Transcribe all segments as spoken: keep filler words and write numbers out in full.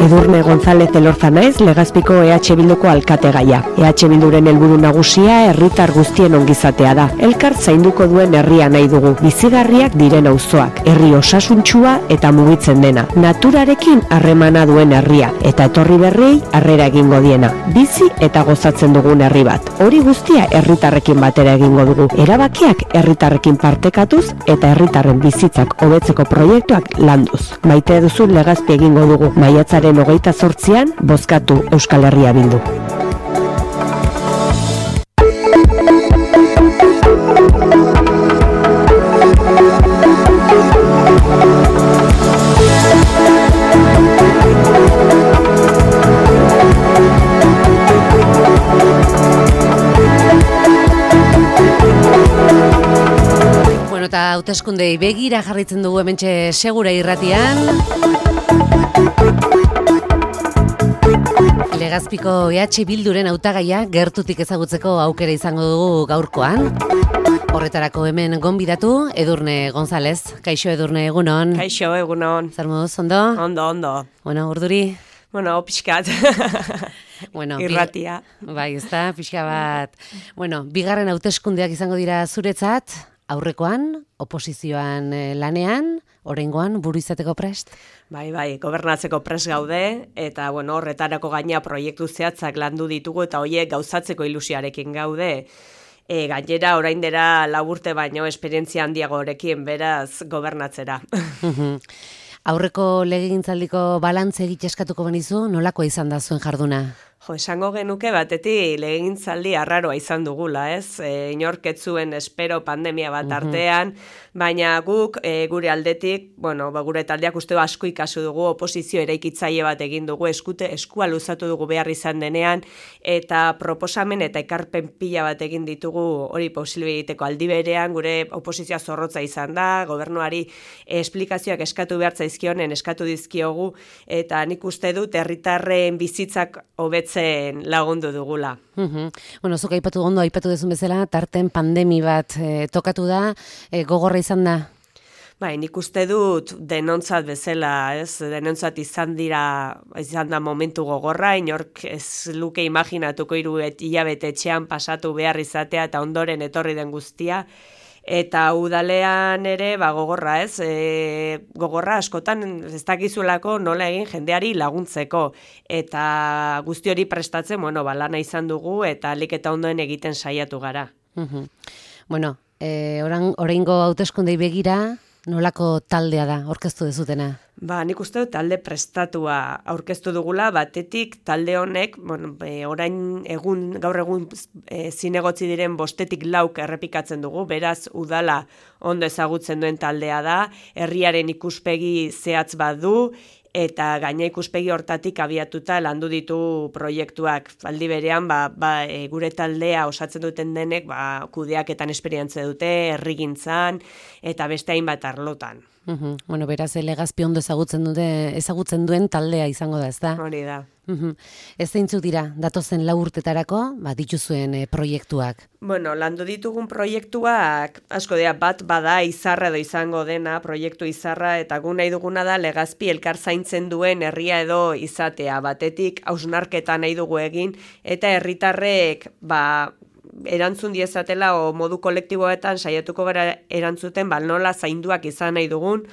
Edurne González Elorza naiz, Legazpiko E H Bilduko alkategaia. E H Bilduren helburu nagusia herritar guztien ongizatea da. Elkar zainduko duen herria nahi dugu, bizigarriak diren auzoak, herri osasuntsua eta mugitzen dena, naturarekin harremana duen herria, eta etorri berriei harrera egingo diena. Bizi eta gozatzen dugun herri bat. Hori guztia herritarrekin batera egingo dugu. Erabakiak herritarrekin partekatuz eta herritarren bizitzak hobetzeko proiektuak landuz. Maite duzun Legazpi egingo dugu. Maiatzaren hogeita zortzian, bozkatu Euskal Herria Bildu. Bueno, eta hauteskundei begira jarritzen dugu hementxe Segura Irratian. Legazpiko E H Bilduren hautagaia gertutik ezagutzeko aukera izango dugu gaurkoan. Horretarako hemen gonbidatu Edurne González. Kaixo Edurne, egunon. Kaixo, egunon. Zer moduz, ondo? Ondo, ondo. Bueno, urduri? Bueno, pixkat. Bueno, irratia. Bi, bai, ez da, pixka bat. Bueno, bigarren hauteskundeak izango dira zuretzat, aurrekoan, oposizioan lanean, oraingoan buru izateko prest? Bai, bai, gobernatzeko prest gaude, eta bueno, horretarako gaina proiektu zehatzak landu ditugu, eta horiek gauzatzeko ilusioarekin gaude. E, gainera, orain dela lau urte baino esperientzia handiagorekin, beraz, gobernatzera. Aurreko legegintzaldiko balantze egite eskatuko benizu, nolakoa izan da zuen jarduna? Jo, esango genuke batetik legegintzaldi arraroa izan dugula, ez? E, inork ez zuen espero pandemia bat artean, baina guk e, gure aldetik, bueno, ba, gure taldeak uste asko ikasu dugu, oposizio eraikitzaile bat egin dugu, eskute, eskua luzatu dugu behar izan denean, eta proposamen eta ekarpen pila bat egin ditugu hori posible egiteko aldi berean, gure oposizioa zorrotza izan da, gobernuari esplikazioak eskatu behar zaizkionen eskatu dizkiogu, eta nik uste dut herritarren bizitzak hobetzen lagundu dugula. Uhum. Bueno, zuk aipatu ondo, aipatu dezun bezala, tarten pandemi bat e, tokatu da, e, gogorra izan da? Bai, nik uste dut denontzat bezala, ez? Denontzat izan dira, izan da momentu gogorra, inork ez luke imaginatuko hiru hilabete etxean pasatu behar izatea eta ondoren etorri den guztia. Eta udalean ere, ba, gogorra, ez? E, gogorra askotan ez dakizulako nola egin jendeari laguntzeko. Eta guzti hori prestatzen, bueno, ba, lana izan dugu eta alik eta ondoen egiten saiatu gara. Uhum. Bueno, e, orain, oraingo hauteskundei begira, nolako taldea da, aurkeztu dezutena? Ba, nik uste dut talde prestatua aurkeztu dugula, batetik talde honek, bueno, e, orain egun, gaur egun e, zinegotzi diren bostetik lauk errepikatzen dugu, beraz udala ondo ezagutzen duen taldea da, herriaren ikuspegi zehatz bat du, eta gaina ikuspegi hortatik abiatuta landu ditu proiektuak. Aldi berean, ba, ba, e, gure taldea osatzen duten denek, ba, kudeaketan esperientzia dute, herrigintzan, eta beste hainbat arlotan. Uhum. Bueno, beraz, Legazpi ondo ezagutzen dute, ezagutzen duen taldea izango da, ez da? Hori da. Uhum. Ez zeintzuk dira, datozen lau urtetarako, ba, dituzuen e, proiektuak? Bueno, landu ditugun proiektuak, asko dira, bat bada izarra edo izango dena, proiektu izarra, eta gu nahi duguna da Legazpi elkar zaintzen duen herria edo izatea. Batetik, hausnarketa nahi dugu egin, eta herritarrek, ba, erantzun diezatela o modu kolektiboetan saiatuko gara erantzuten, ba, nola zainduak izan nahi dugun,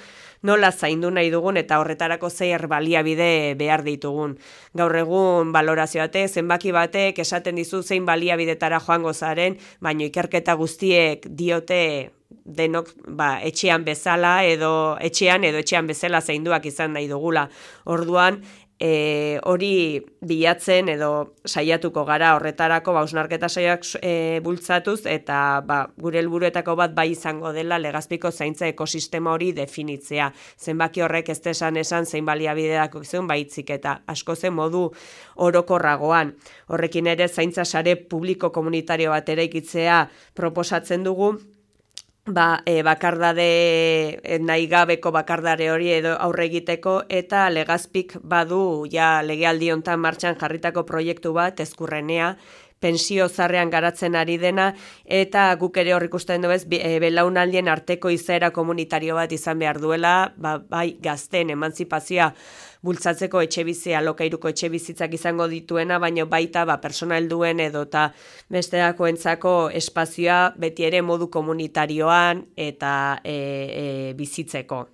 nola zaindu nahi dugun eta horretarako zer baliabide behar ditugun. Gaur egun balorazio batek, zenbaki batek esaten dizu zein baliabidetara joango zaren, baina ikerketa guztiek diote denok ba, etxean bezala edo etxean edo etxean bezala zainduak izan nahi dugula. Orduan, E, hori bilatzen edo saiatuko gara horretarako ba, hausnarketa saioak e, bultzatuz eta ba, gure helburuetako bat bai izango dela Legazpiko zaintza ekosistema hori definitzea. Zenbaki horrek ez esan esan zein baliabideak izan baitzik eta asko zen modu orokorragoan. Horrekin ere zaintza sare publiko komunitario bat eraikitzea proposatzen dugu. Ba, e, bakardade, e, nahi gabeko bakardare hori edo aurre egiteko eta Legazpik badu ja legealdi hontan martxan jarritako proiektu bat Ezkurrenea pensio zarrean garatzen ari dena, eta guk ere hor ikusten du ez, belaunaldien arteko izaera komunitario bat izan behar duela, ba, bai gazteen emantzipazioa bultzatzeko etxebizia, alokairuko etxebizitzak izango dituena, baina baita ba, persona helduen edo eta besterakoentzako espazioa beti ere modu komunitarioan eta e, e, bizitzeko.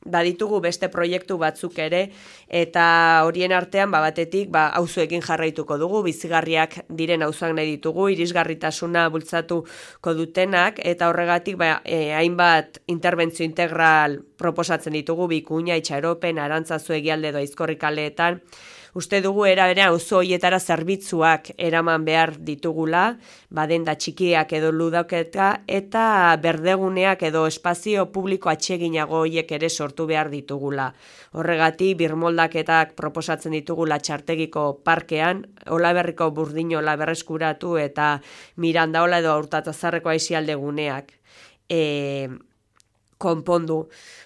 Baditugu beste proiektu batzuk ere, eta horien artean ba, batetik ba, auzoekin jarraituko dugu, bizigarriak diren auzoak nahi ditugu, irisgarritasuna bultzatuko dutenak, eta horregatik ba, e, hainbat interbentzio integral proposatzen ditugu, Bikuña, Itxaropen, Arantzazu egialde edo Aizkorri kaleetan. Uste dugu era berean auzo horietara zerbitzuak eraman behar ditugula, badenda txikiak edo ludaketa, eta berdeguneak edo espazio publiko atseginago horiek ere sortu behar ditugula. Horregatik, birmoldaketak proposatzen ditugula Txartegiko parkean, Olaberriko burdinola berreskuratu eta Mirandaola edo Hurtatazarreko aisialde guneak. E, konpondu.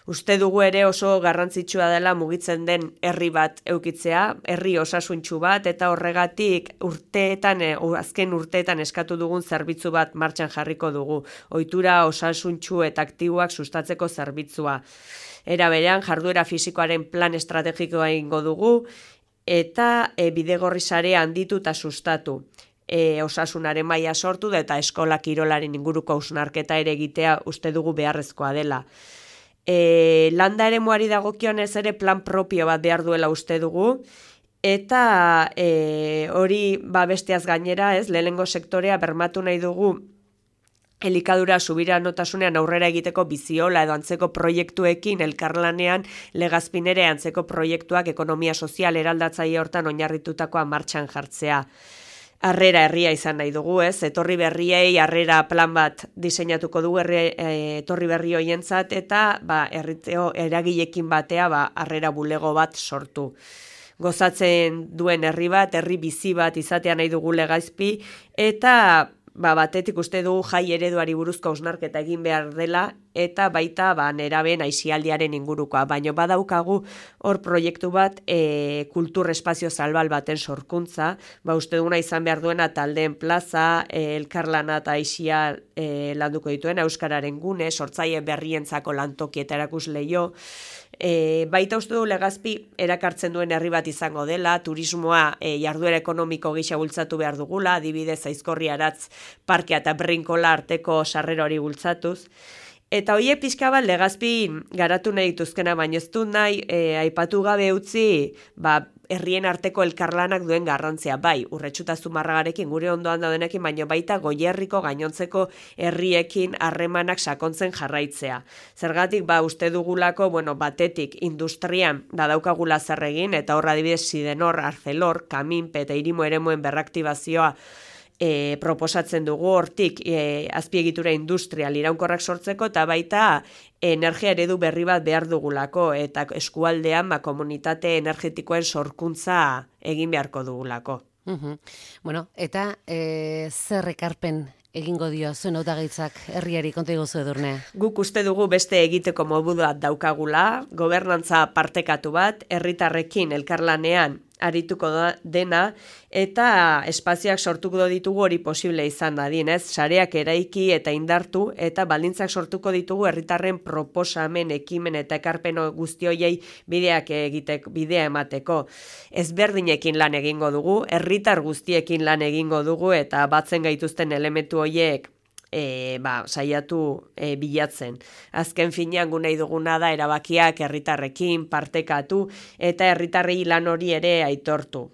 Uste dugu ere oso garrantzitsua dela mugitzen den herri bat eukitzea, herri osasuntsu bat, eta horregatik urteetan, azken urteetan eskatu dugun zerbitzu bat martxan jarriko dugu. Ohitura osasuntsu eta aktiboak sustatzeko zerbitzua. Era berean, jarduera fisikoaren plan estrategikoa egingo dugu, eta e, bidegorri sarea handitu eta sustatu. E, osasunaren maila sortu da eta eskola kirolaren inguruko hausnarketa ere egitea uste dugu beharrezkoa dela. E, landa eremuari dagokionez ere plan propio bat behar duela uste dugu, eta e, hori ba besteaz gainera, ez, lehenengo sektorea bermatu nahi dugu elikadura subiranotasuna aurrera egiteko biziola edo antzeko proiektuekin elkarlanean Legazpin ere antzeko proiektuak ekonomia sozial eraldatzaile hortan oinarritutakoa martxan jartzea. Harrera herria izan nahi dugu, ez? Etorri berriei harrera plan bat diseinatuko dugu herri, e, etorri berri hoientzat eta ba herriteo eragileekin batea ba harrera bulego bat sortu. Gozatzen duen herri bat, herri bizi bat izatea nahi dugu Legazpi, eta ba batetik uste dugu jai ereduari buruzko hausnarketa egin behar dela, eta baita ba nerabeen aisialdiaren ingurukoa, baina badaukagu hor proiektu bat e, kultur espazio salbal baten sorkuntza, ba uste duguna izan behar duena taldeen plaza, e, elkarlana eta aisia e, landuko dituen euskararen gune, sortzaile berrientzako lantoki eta erakusleio. E, baita uste du Legazpi erakartzen duen herri bat izango dela, turismoa e, jarduera ekonomiko gisa bultzatu behar dugula, adibidez Aizkorri Aratz parkea eta Brinkola arteko sarrera hori bultzatuz. Eta hoie pixka bat Legazpi garatu nahi dituzkena, baina ez du nahi e, aipatu gabe utzi ba, herrien arteko elkarlanak duen garrantzia, bai, Urretxuta Zumarragarekin gure ondoan daudenekin, baina baita Goierriko gainontzeko herriekin harremanak sakontzen jarraitzea. Zergatik, ba, uste dugulako, bueno, batetik industrian da daukagula zer egin, eta horra adibidez Sidenor, Arcelor, Kaminpe eta Irimo eremuen berraktibazioa E, proposatzen dugu hortik e, azpiegitura industrial iraunkorrak sortzeko eta baita energia eredu berri bat behar dugulako eta eskualdean ba, komunitate energetikoen sorkuntza egin beharko dugulako. Uhum. Bueno, eta e, zer ekarpen egingo dio zuen hautagaitzak herriari konta iguzu Edurne? Guk uste dugu beste egiteko modu bat daukagula, gobernantza partekatu bat, herritarrekin elkarlanean arituko da, dena, eta espazioak sortuko ditugu hori posible izan dadin, ez? Sareak eraiki eta indartu, eta baldintzak sortuko ditugu herritarren proposamen, ekimen eta ekarpen guzti horiei bideak egiteko, bidea emateko. Ezberdinekin lan egingo dugu, herritar guztiekin lan egingo dugu, eta batzen gaituzten elementu horiek E, ba, saiatu e, bilatzen. Azken finean gu nahi duguna da erabakiak herritarrekin partekatu eta herritarrei lan hori ere aitortu.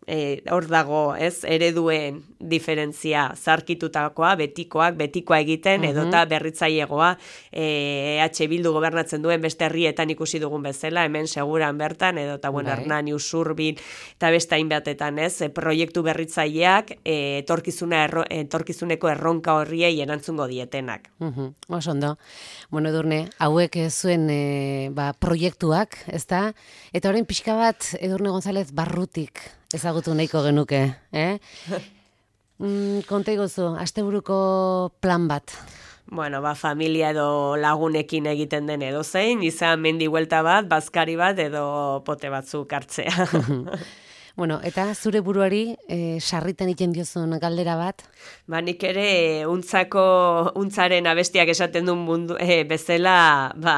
E, hor dago, ez, ereduen diferentzia zarkitutakoa, betikoak, betikoa egiten, uh-huh. edota berritzailegoa, e, E H Bildu gobernatzen duen beste herrietan ikusi dugun bezala, hemen seguran bertan, edota, bueno, bai. Hernani, Usurbil, eta beste hainbatetan, ez, e, proiektu berritzaileak, e, etorkizuna erro, etorkizuneko erronka horriei erantzungo dietenak. Uh-huh. Oso ondo. Bueno, Edurne, hauek zuen e, ba, proiektuak, ezta? Eta orain pixka bat, Edurne González barrutik ezagutu nahiko genuke, eh? mm, konta iguzu, asteburuko plan bat. Bueno, ba, familia edo lagunekin egiten den edo zein, izan mendi huelta bat, bazkari bat edo pote batzuk hartzea. Bueno, eta zure buruari e, sarritan iten diozun galdera bat? Ba, nik ere untzako, untzaren abestiak esaten duen mundu, e, bezala, ba,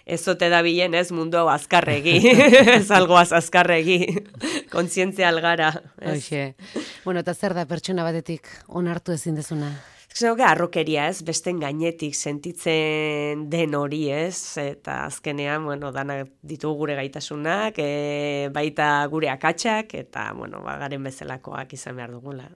ez ote da bilen ez mundu hau azkarregi, ez algoaz azkarregi, kontzientzia algara. Hoxe. Bueno, eta zer da pertsona batetik onartu ezin dezuna? Zeuge arrokeria ez, besten gainetik sentitzen den hori ez, eta azkenean, bueno, danak ditugu gure gaitasunak, e, baita gure akatsak, eta, bueno, ba, garen bezalakoak izan behar dugula.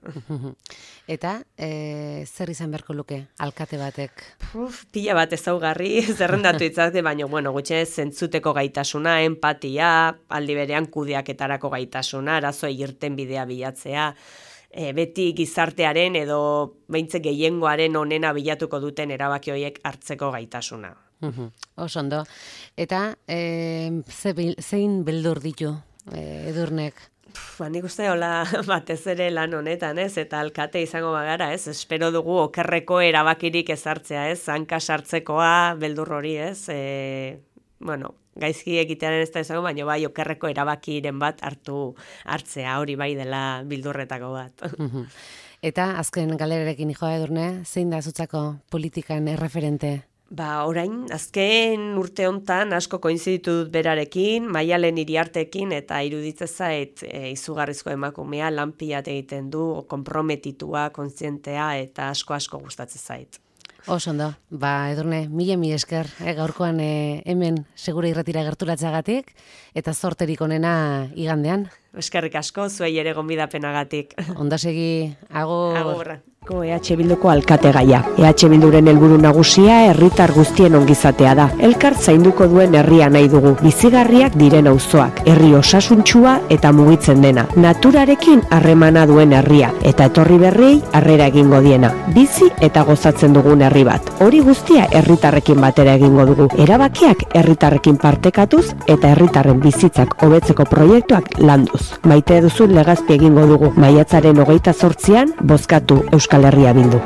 Eta, e, zer izan beharko luke, alkate batek? Uf, pila bat ezaugarri, zerrendatu itzazte, baina, bueno, gutxe zentzuteko gaitasuna, empatia, aldi berean kudeaketarako gaitasuna, arazoa irten bidea bilatzea, E, beti gizartearen edo behintzek gehiengoaren onena bilatuko duten erabaki horiek hartzeko gaitasuna. Uhum. Oso ondo. Eta e, ze, zein beldur ditu e, Edurnek? Ba, nik uste hola batez ere lan honetan, ez? Eta alkate izango bagara, ez? Espero dugu okerreko erabakirik ezartzea, ez? Hanka sartzekoa beldur hori, ez? E, bueno, gaizki egitearen ez da izango, baina bai okerreko erabakiren bat hartu hartzea, hori bai dela bildurretako bat. Eta azken galerarekin joa Edurne, zein da zutzako politikan erreferente? Ba, orain, azken urte hontan asko koinziditu dut berarekin, Maialen Iriartekin, eta iruditze zait e, izugarrizko emakumea, lanpiat egiten du, konprometitua, kontzientea, eta asko-asko gustatzen zait. Oso ondo, ba Edurne, mila mi esker, eh, gaurkoan eh, hemen segura irratira gerturatzagatik, eta zorterik onena igandean. Eskerrik asko, zuei ere gonbidapenagatik. Ondo segi, agur. Agurra. E H Bilduko alkategaia. E H Bilduren helburu nagusia herritar guztien ongizatea da. Elkar zainduko duen herria nahi dugu. Bizigarriak diren auzoak, herri osasuntsua eta mugitzen dena. Naturarekin harremana duen herria eta etorri berriei harrera egingo diena. Bizi eta gozatzen dugun herri bat. Hori guztia herritarrekin batera egingo dugu. Erabakiak herritarrekin partekatuz eta herritarren bizitzak hobetzeko proiektuak landuz. Maite duzun Legazpi egingo dugu. Maiatzaren hogeita zortzian bozkatu Euskal Herria Bildu.